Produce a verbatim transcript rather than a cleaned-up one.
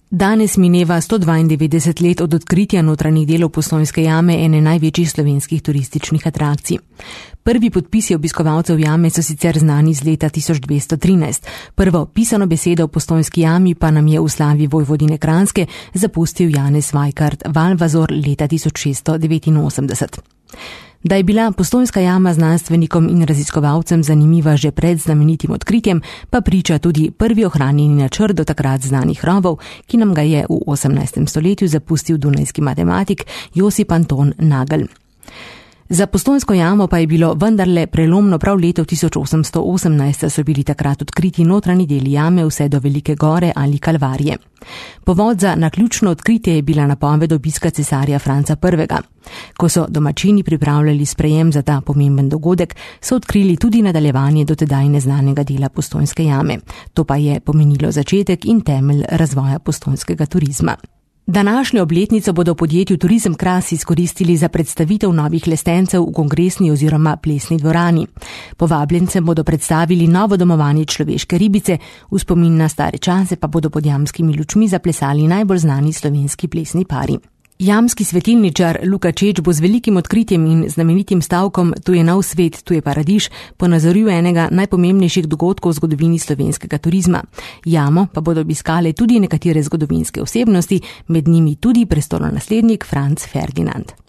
Danes mineva sto dvaindevetdeset let od odkritja notranjih delov Postojnske jame, ene največjih slovenskih turističnih atrakcij. Prvi podpisi obiskovalcev jame so sicer znani z leta tisoč dvesto trinajst. Prvo pisano besedo o Postojnski jami pa nam je v slavi Vojvodine Kranjske zapustil Janez Vajkard Valvazor leta tisoč šeststo devetinosemdeset. Da je bila Postojnska jama znanstvenikom in raziskovalcem zanimiva že pred znamenitim odkritjem, pa priča tudi prvi ohranjeni načrt do takrat znanih rovov, ki nam ga je v osemnajstem stoletju zapustil dunajski matematik Josip Anton Nagel. Za Postojnsko jamo pa je bilo vendarle prelomno prav leto tisoč osemsto osemnajst, so bili takrat odkriti notranji deli jame vse do Velike gore ali Kalvarije. Povod za naključno odkritje je bila napoved obiska cesarja Franca prvega. Ko so domačini pripravljali sprejem za ta pomemben dogodek, so odkrili tudi nadaljevanje do tedaj neznanega dela Postojnske jame. To pa je pomenilo začetek in temelj razvoja postojnskega turizma. Današnjo obletnico bodo v podjetju Turizem Kras izkoristili za predstavitev novih lestencev v kongresni oziroma plesni dvorani. Povabljencem bodo predstavili novo domovanje človeške ribice, v spomin na stare čase pa bodo pod jamskimi lučmi zaplesali najbolj znani slovenski plesni pari. Jamski svetilničar Luka Čeč bo z velikim odkritjem in znamenitim stavkom Tu je nov svet, tu je paradiž ponazoril enega najpomembnejših dogodkov v zgodovini slovenskega turizma. Jamo pa bodo obiskale tudi nekatere zgodovinske osebnosti, med njimi tudi prestolonaslednik Franc Ferdinand.